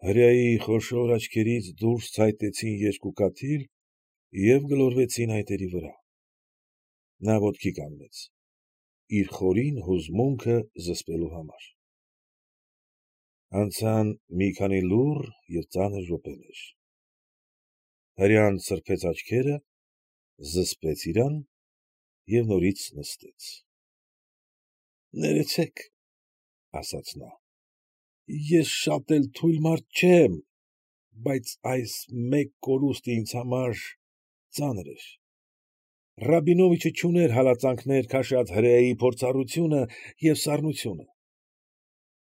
Հրեայի խոշոր աչքերից դուրս ցայտեցին երկու կաթիլ և գլորվեցին այտերի վրա։ Նա ոտքի կանգնեց, իր խորին հուզմունքը զսպելու համար։ Անցան մի քանի լուռ և ծանր րոպեներ։ Հրեան սրբեց աչքերը, զսպեց իրան և նորից նստեց։ ֊ Ներեցեք, ֊ ասաց նա, ֊ ես շատ էլ թույլ մարդ չեմ, բայց այս մեկ կորուստը ինձ համար ծանր էր։ Ռաբինովիչը չուներ հալածանքներ քաշած հրեայի փորձառությունը և սառնությունը։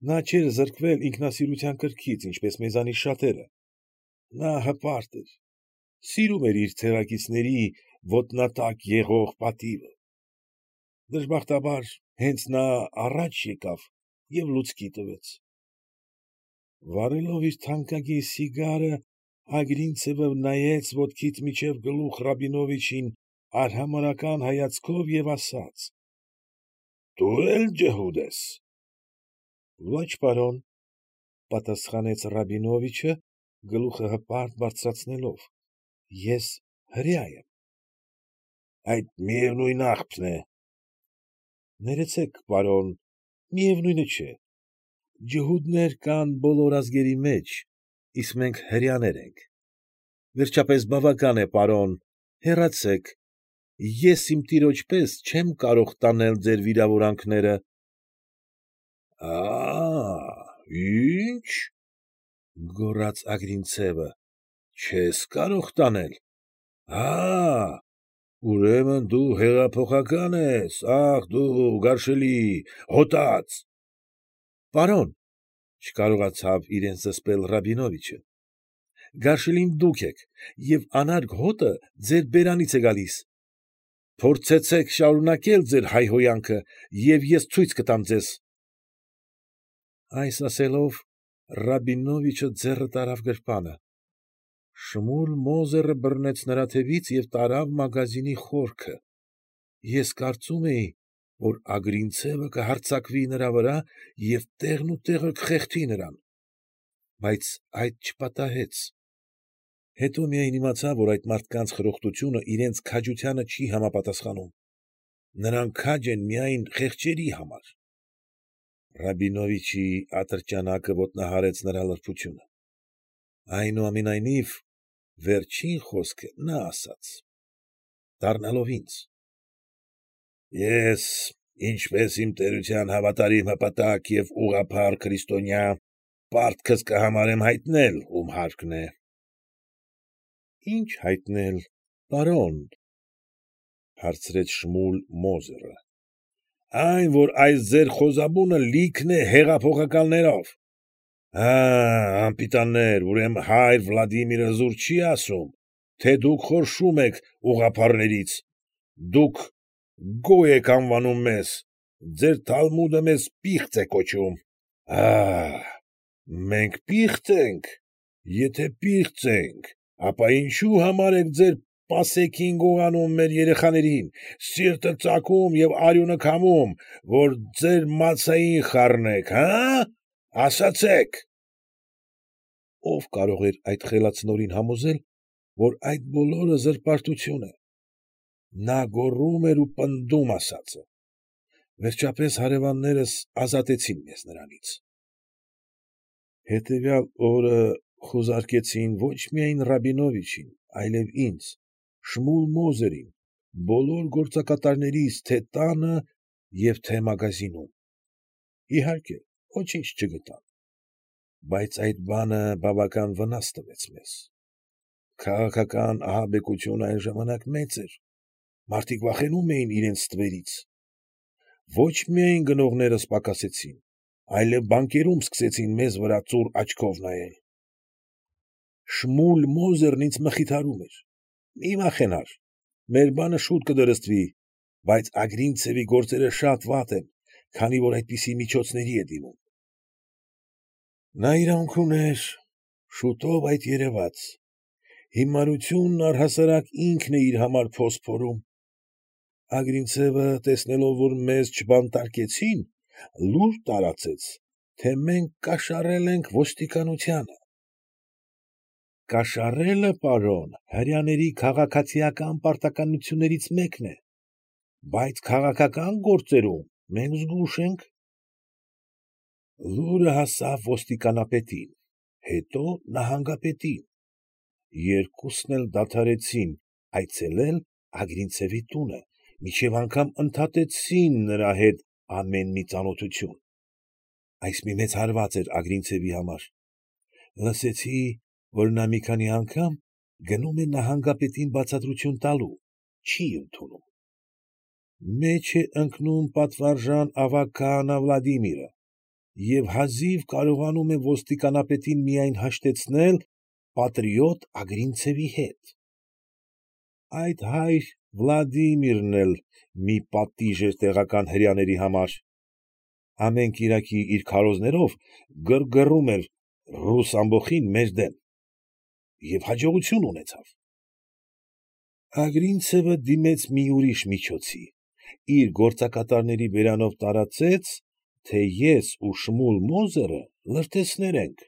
Նա չէր զրկվել ինքնասիրության կրքից, ինչպես մեզանից շատերը։ Նա հպարտ էր, սիրում էր իր ցեղակիցների ոտնատակ եղող պատիվը։ Դժբախտաբար, հենց նա առաջ եկավ և լուցկի տվեց։ Վառելով իր թանկագին սիգարը, Ագրինցևը նայեց ոտքից մինչև գլուխ Ռաբինովիչին արհամարհական հայացքով և ասաց. ֊ Դու էլ ջհուդ ես։ ֊ Ոչ, պարոն, ֊ պատասխանեց Ռաբինովիչը, գլուխը հպարտ բարձրացնելով, ֊ ես հրեա եմ։ ֊ Այդ միևնույն աղբն է։ ֊ Ներեցեք, պարոն, միևնույնը չէ։ Ջհուդներ կան բոլոր ազգերի մեջ, իսկ մենք հրեաներ ենք։ Վերջապես, բավական է, պարոն, հեռացեք, ես իմ տիրոջ պես չեմ կարող տանել ձեր վիրավորանքները։ ֊ Ի՞նչ, ֊ գոռաց Ագրինցևը, ֊ չես կարող տանել, ուրեմն դու հեղափոխակա՞ն ես, ախ դու գարշելի, հոտած։ ֊ Պարոն, ֊ չկարողացավ իրեն զսպել Ռաբինովիչը, ֊ գարշելին դուք եք և անարգ հոտը ձեր բերանից է գալիս։ Փորձեցեք շարունակել ձեր հայհոյանքը, և ես ցույց կտամ ձեզ։ Այս ասելով, Ռաբինովիչը ձեռը տարավ գրպանը։ Շմուլ Մոզերը բռնեց նրա թևից և տարավ մագազինի խորքը։ Ես կարծում էի, որ Ագրինցևը կհարձակվի նրա վրա և տեղն ու տեղը կխեղդի նրան, բայց այդ չպատահեց։ Հետո միայն իմացա, որ այդ մարդկանց խրոխտությունը իրենց քաջությանը չի համապատասխանում. նրանք քաջ են միայն խեղճերի համար։ Ռաբինովիչի ատրճանակը ոտնահարեց նրա լրբությունը։ Այնուամենայնիվ, վերջին խոսքը նա ասաց, դառնալով ինձ. ֊ Ես, ինչպես իմ տերության հավատարիմ հպատակ և ուղղափառ քրիստոնյա, պարտքս կհամարեմ հայտնել, ում հարկն է։ ֊ Ի՞նչ հայտնել, պարոն, ֊ հարցրեց Շմուլ Մոզերը։ ֊ Այն, որ այս ձեր խոզարանը լիքն է հեղափոխականներով։ Անպիտաններ, ուրեմն հայր Վլադիմիրը զուր չի ասում, թե դուք խորշում եք ուղղափառներից, դուք գոյ եք անվանում մեզ, ձեր թալմուդը մեզ պիղծ է կոչում։ Մենք պի՞ղծ ենք, եթե պիղծ ենք, ապա ինչո՞ւ համար եք ձեր պասեքին գողանում մեր երեխաներին, սիրտը ծակում և արյունը քամում, որ ձեր մացային խառնեք, ասացեք։ Ո՞վ կարող էր այդ խելացնորին համոզել, որ այդ բոլորը զրպարտություն է։ Նա գոռում էր ու պնդում ասածը։ Վերջապես հարևաններս ազատեցին մեզ նրանից։ Հետևյալ օրը խուզարկեցին ոչ միայն Ռաբինովիչին, այլև ինձ, Շմուլ Մոզերին, բոլոր գործակատարներիս թե՛ տանը և թե՛ մագազինում։ Իհարկե, ոչինչ չգտան։ Բայց այդ բանը բավական վնաս տվեց մեզ։ Քաղաքական ահաբեկությունը այն ժամանակ մեծ էր, մարդիկ վախենում էին իրենց ստվերից։ Ոչ միայն գնողներս պակասեցին, այլև բանկերում սկսեցին մեզ վրա ծուռ աչքով նայել։ Շմուլ Մոզերն ինձ մխիթարում էր. «Մի վախենար, մեր բանը շուտ կդրստվի, բայց Ագրինցևի գործերը շատ վատ են, քանի որ այդպիսի միջոցների է դիմում»։ Նա իրավունք ուներ, շուտով այդ երևաց։ Հիմարությունն առհասարակ ինքն է իր համար փոս փորում։ Ագրինցևը, տեսնելով, որ մեզ չբանտարկեցին, լուր տարածեց, թե մենք կաշառել ենք ոստիկանությանը։ Կաշառելը, պարոն, հրեաների քաղաքացիական պարտականություններից մեկն է, բայց քաղաքական գործերում մենք զգույշ ենք։ Լուրը հասավ ոստիկանապետին, հետո նահանգապետին. երկուսն էլ դադարեցին այցելել Ագրինցևի տունը, մինչև անգամ ընդհատեցին նրա հետ ամեն մի ծանոթություն։ Այս մի մեծ հարված էր Ագրինցևի համար։ Լսեցի, որ նա մի քանի անգամ գնում է նահանգապետին բացատրություն տալու, չի ընդունում։ Մեջ է ընկնում պատվարժան ավագ քահանա Վլադիմիրը և հազիվ կարողանում է ոստիկանապետին միայն հաշտեցնել պատրիոտ Ագրինցևի հետ։ Այդ հայր Վլադիմիրն էլ մի պատիժ էր տեղական հրեաների համար։ Ամեն կիրակի իր քարոզներով գրգռում էր ռուս ամբոխին մեր դեմ և հաջողություն ունեցավ։ Ագրինցևը դիմեց մի ուրիշ միջոցի, իր գործակատարների բերանով տարածեց, թե ես ու Շմուլ Մոզերը լրտեսներ ենք։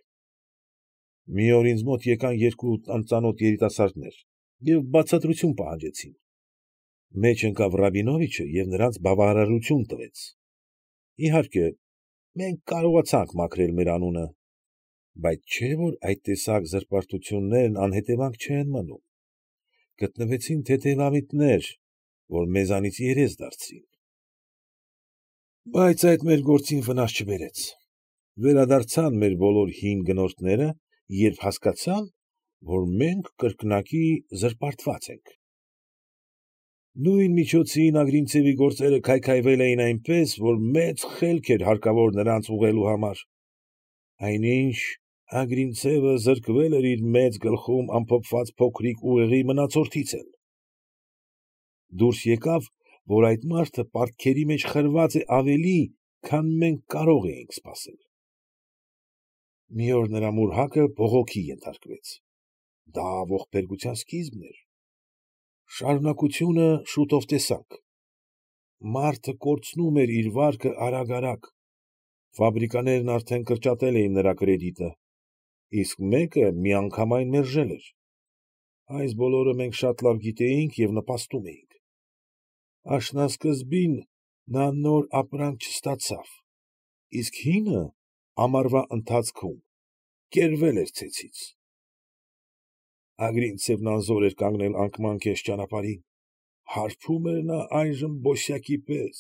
Մի օր ինձ մոտ եկան երկու անծանոթ երիտասարդներ և բացատրություն պահանջեցին։ Մեջ ընկավ Ռաբինովիչը և նրանց բավարարություն տվեց։ Իհարկե, մենք կարողացանք մաքրել մեր անունը, բայց չէ՞ որ այդ տեսակ զրպարտություններն անհետևանք չեն մնում։ Գտնվեցին թեթևամիտներ, որ մեզանից երես դարձրին։ Բայց այդ մեր գործին վնաս չբերեց։ Վերադարձան մեր բոլոր հին գնորդները, երբ հասկացան, որ մենք կրկնակի զրպարտված ենք։ Նույն միջոցին Ագրինցևի գործերը քայքայվել էին այնպես, որ մեծ խելք էր հարկավոր նրանց ուղղելու համար։ Այնինչ Ագրինցևը զրկվել էր իր մեծ գլխում ամփոփված փոքրիկ ուղեղի մնացորդից էլ։ Դուրս եկավ, որ այդ մարդը պարտքերի մեջ խրված է ավելի, քան մենք կարող էինք սպասել։ Մի օր նրա մուրհակը բողոքի ենթարկվեց։ Դա ողբերգության սկիզբն էր։ Շարունակությունը շուտով տեսանք։ Մարդը կորցնում էր իր վարկը արագ֊արագ։ Ֆաբրիկաներն արդեն կրճատել էին նրա կրեդիտը, իսկ մեկը միանգամայն մերժել էր։ Այս բոլորը մենք շատ լավ գիտեինք և նպաստում էինք։ Աշնանսկզբին նա նոր ապրանք չստացավ, իսկ հինը ամառվա ընթացքում կերվել էր ցեցից։ Ագրինցևն անզոր էր կանգնել անկման կես ճանապարհին, հարբում էր նա այժմ բոսյակի պես։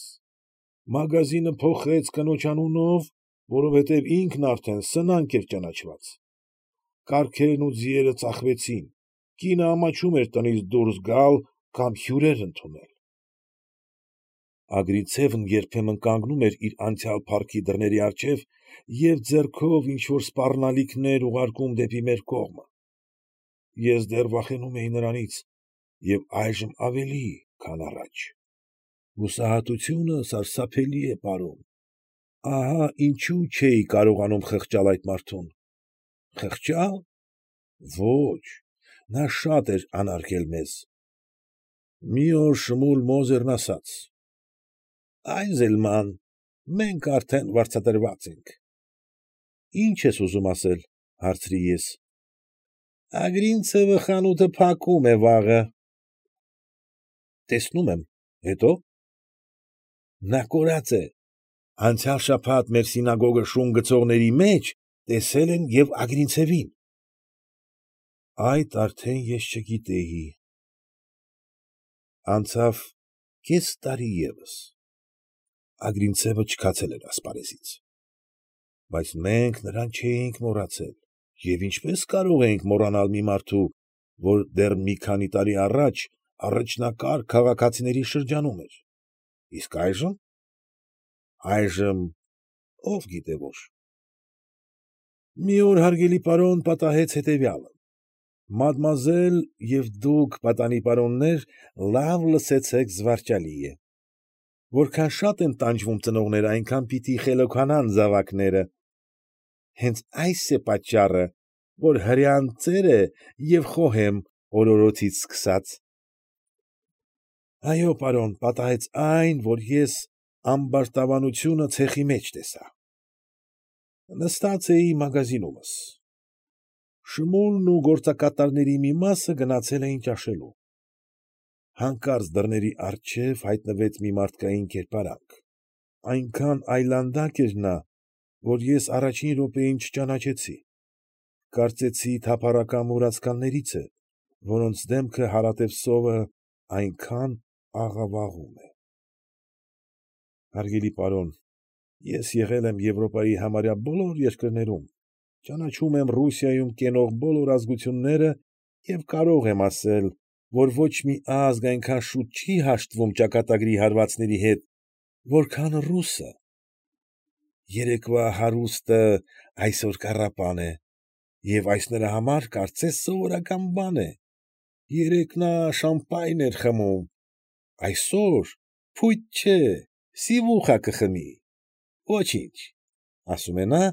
Մագազինը փոխեց կնոջ անունով, որովհետև ինքն արդեն սնանկ էր ճանաչված։ Կառքերն ու ձիերը ծախվեցին, կինը ամաչում էր տնից դուրս գալ կամ հյուրեր ընդունել։ Ագրինցևն երբեմն կանգնում էր իր անցյալ փառքի դռների առջև և ձեռքով ինչ֊որ սպառնալիքներ ուղարկում դեպի մեր կողմը։ Ես դեռ վախենում էի նրանից և այժմ ավելի, քան առաջ։ Հուսահատությունը սարսափելի է, պարոն։ Ահա ինչու չէի կարողանում խղճալ այդ մարդուն։ Խղճալ։ Ոչ, նա շատ էր անարգել մեզ։ Մի օր Շմուլ Մոզերն ասաց. «Այզելման, մենք արդեն վարձատրված ենք»։ Ի՞նչ ես ուզում ասել, ֊ հարցրի ես։ Ագրինցևը խանութը փակում է վաղը։ Տեսնում եմ, հետո՞։ Նա կորած է։ Անցյալ շաբաթ մեր սինագոգը շուն գցողների մեջ տեսել են և Ագրինցևին։ Այդ արդեն ես չգիտեի։ Անցավ կես տարի ևս։ Ագրինցևը չքացել էր ասպարեզից։ Բայց մենք նրան չէինք մոռացել, և ինչպե՞ս կարող էինք մոռանալ մի մարդու, որ դեռ մի քանի տարի առաջ առաջնակարգ քաղաքացիների շրջանում էր։ Իսկ այժմ։ Այժմ ով գիտե որ։ Մի օր, հարգելի պարոն, պատահեց հետևյալը. մադմուազել և դուք, պատանի պարոններ, լավ լսեցեք զվարճալի է. որքան շատ են տանջվում ծնողները, այնքան պիտի խելոքանան զավակները։ Հենց այս է պատճառը, որ հրեան ծեր է և խոհեմ օրորոցից սկսած։ Այո, պարոն, պատահեց այն, որ ես ամբարտավանությունը ցեխի մեջ տեսա։ Նստած էի մագազինումս։ Շմուլն ու գործակատարների մի մասը գնացել էին ճաշելու։ Հանկարծ դռների առջև հայտնվեց մի մարդկային կերպարանք, այնքան այլանդակ էր նա, որ ես առաջին րոպեին չճանաչեցի, կարծեցի թափառական մուրացկաններից է, որոնց դեմքը հարատև սովը այնքան աղավաղում է։ Հարգելի պարոն, ես եղել եմ Եվրոպայի համարյա բոլոր երկրներում, ճանաչում եմ Ռուսիայում կենող բոլոր ազգությունները և կարող եմ ասել, որ ոչ մի ազգ այնքան շուտ չի հաշտվում ճակատագրի հարվածների հետ, որքան ռուսը։ Երեկվա հարուստը այսօր կառապան է, և այս նրա համար կարծես սովորական բան է. երեկ նա շամպայն էր խմում, այսօր փույթ չէ, սիվուխա կխմի, ոչինչ, ասում է նա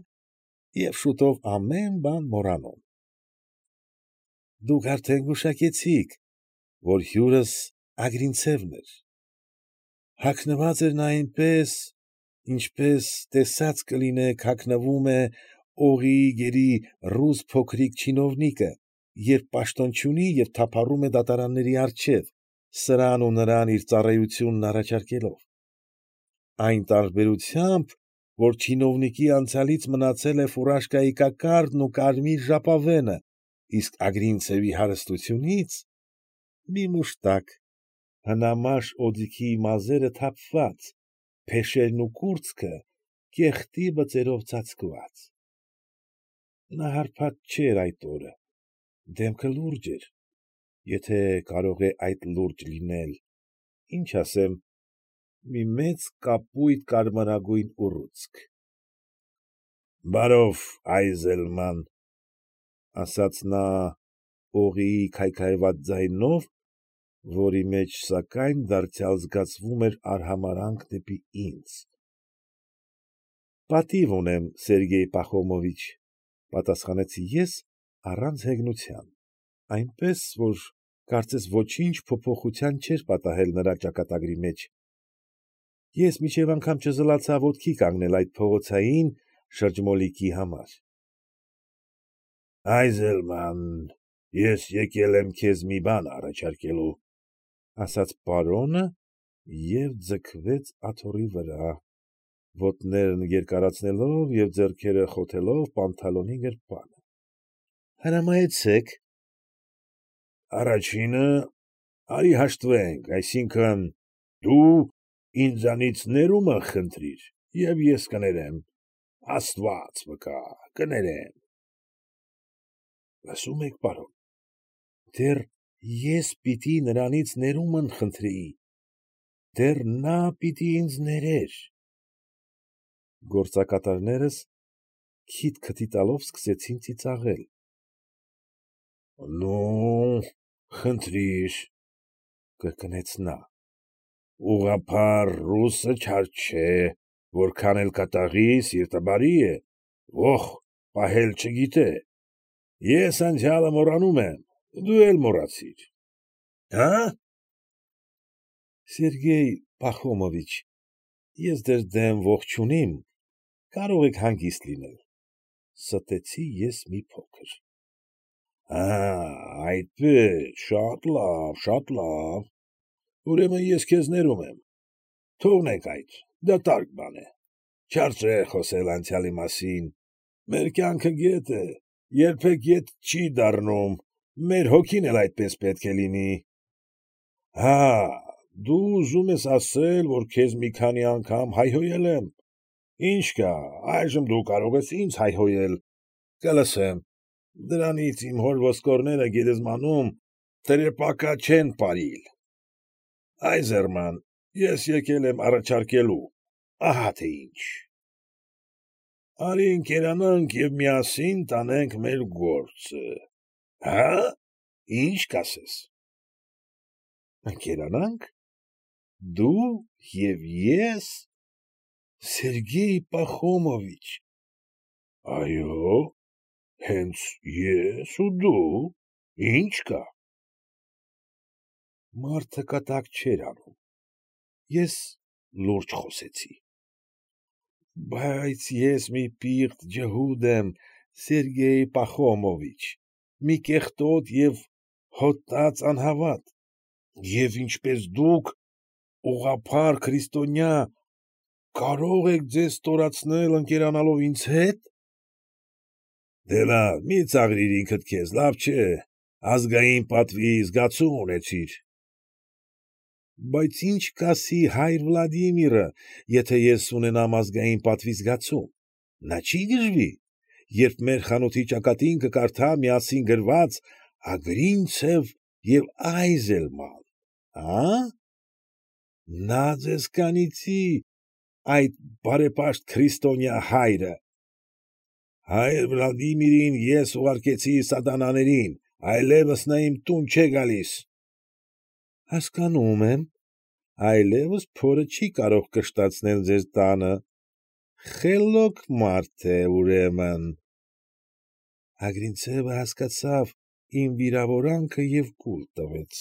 և շուտով ամեն բան մոռանում։ Դուք արդեն գուշակեցիք, որ հյուրս Ագրինցևն էր։ Հագնված էր նա այնպես, ինչպես տեսած կլինեք հագնվում է օղիի գերի ռուս փոքրիկ չինովնիկը, երբ պաշտոն չունի և թափառում է դատարանների առջև, սրան ու նրան իր ծառայությունն առաջարկելով։ Այն տարբերությամբ, որ չինովնիկի անցյալից մնացել է ֆուրաշկայի կոկարդն ու կարմիր ժապավենը, իսկ Ագրինցևի հարստությունից մի մուշտակ, հնամաշ օձիքի մազերը թափված, փեշերն ու կուրծքը կեղտի բծերով ծածկված։ Նա հարբած չէր այդ օրը, դեմքը լուրջ էր, եթե կարող է այդ լուրջ լինել, ինչ ասեմ, մի մեծ կապույտ կարմրագույն ուռուցք։ ֊ Բարով, Այզելման, ֊ ասաց նա օղիի քայքայված ձայնով, որի մեջ, սակայն, դարձյալ զգացվում էր արհամարհանք դեպի ինձ։ ֊ Պատիվ ունեմ, Սերգեյ Պախոմովիչ, ֊ պատասխանեցի ես առանց հեգնության, այնպես որ կարծես ոչինչ փոփոխության չէր պատահել նրա ճակատագրի մեջ. ես մինչև անգամ չզլացա ոտքի կանգնել այդ փողոցային շրջմոլիկի համար։ ֊ Այզելման, ես եկել եմ քեզ մի բան առաջարկելու, ֊ ասաց պարոնը և ձգվեց աթոռի վրա, ոտներն երկարացնելով և ձեռքերը խոթելով պանթալոնի գրպանը։ ֊ Հրամայեցեք։ ֊ Առաջինը, արի հաշտվենք, այսինքն՝ դու ինձանից ներումն խնդրիր և ես կներեմ, աստված վկա, կներեմ։ ֊ Լսո՞ւմ եք, պարոն, դեռ ես պիտի նրանից ներումն խնդրեի, դեռ նա պիտի ինձ ներեր։ Գործակատարներս քիթ տալով սկսեցին ծիծաղել։ ֊ Նու, խնդրիր, ֊ կրկնեց նա, ֊ ուղղափառ ռուսը չար չէ, որքան էլ կատաղի, սիրտը բարի է, ոխ պահել չգիտե, ես անցյալը մոռանում եմ, դու էլ մոռացիր։ ֊ Հա՞։ ֊ Սերգեյ Պախոմովիչ, ես ձեր դեմ ոխ չունիմ, կարող եք հանգիստ լինել, ֊ ստեցի ես մի փոքր։ ֊ Այդպե՞ս, շատ լավ, ուրեմն ես քեզ ներում եմ, թողնենք այդ, դատարկ բան է, չարժե խոսել անցյալի մասին, մեր կյանքը գետ է, երբեք ետ չի դառնում, մեր հոգին էլ այդպես պետք է լինի։ Հա, դու ուզում ես ասել, որ քեզ մի քանի անգամ հայհոյել եմ, ինչ կա, այժմ դու կարող ես ինձ հայհոյել, կլսեմ, դրանից իմ հոր ոսկորները գերեզմանում տրեպակա չեն պարիլ։ Այզելման, ես եկել եմ առաջարկելու, ահա թե ինչ. արի ընկերանանք և միասին տանենք մեր գործը, հա՞, ի՞նչ կասես։ ֊ Ընկերանա՞նք, դու և ես, Սերգեյ Պախոմովիչ։ ֊ Այո, հենց ես ու դու, ի՞նչ կա։ Մարդը կատակ չէր անում, ես լուրջ խոսեցի։ ֊ Բայց ես մի պիղծ ջհուդ եմ, Սերգեյ Պախոմովիչ, մի կեղտոտ և հոտած անհավատ, և ինչպես դուք, ուղղափառ քրիստոնյա, կարո՞ղ եք ձեզ ստորացնել ընկերանալով ինձ հետ։ Դե լավ, մի ծաղրիր ինքդ քեզ, լավ չէ, ազգային պատվի զգացում ունեցիր։ Բայց ի՞նչ կասի հայր Վլադիմիրը, եթե ես ունենամ ազգային պատվի զգացում, նա չի՞ գժվի, երբ մեր խանութի ճակատին կկարդա միասին գրված Ագրինցև և Այզելման, աա՞։ Նա ձեզանից այդ բարեպաշտ քրիստոնյա հայրը։ Հայր Վլադիմիրին ես ուղարկեցի սատանաներին, այլևս նա իմ տուն չէ գալիս։ Հասկանում եմ, այլևս փորը չի կարող կշտացնել ձեր տանը, խելոք մարդ է, ուրեմն։ Ագրինցևը հասկացավ իմ վիրավորանքը և կուլ տվեց։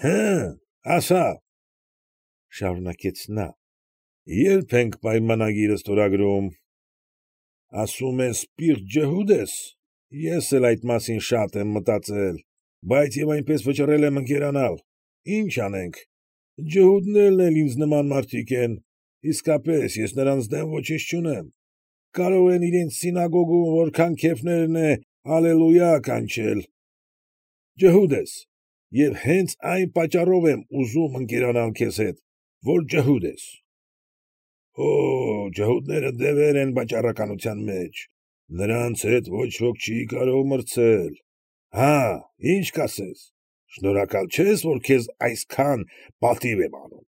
Հը՛, ասա՛, շարունակեց նա, ե՞րբ ենք պայմանագիրը ստորագրում։ Ասում ես պիղծ ջհուդ ես, ես էլ այդ մասին շատ եմ մտածել, բայց և այնպես վճռել եմ ընկերանալ, ինչ անենք, ջհուդներն էլ ինձ նման մարդիկ են, իսկապես ես նրանց դեմ ոչինչ չունեմ, կարող են իրենց սինագոգում որքան քեֆներն է ալելույա կանչել։ Ջհուդ ես, և հենց այն պատճառով եմ ուզում ընկերանալ քեզ հետ, որ ջհուդ ես։ Օօ, ջհուդները դևեր են վաճառականության մեջ, նրանց հետ ոչ ոք չի կարող մրցել։ Հա՛, ի՞նչ կասես, շնորհակալ չե՞ս, որ քեզ այսքան պատիվ եմ անում։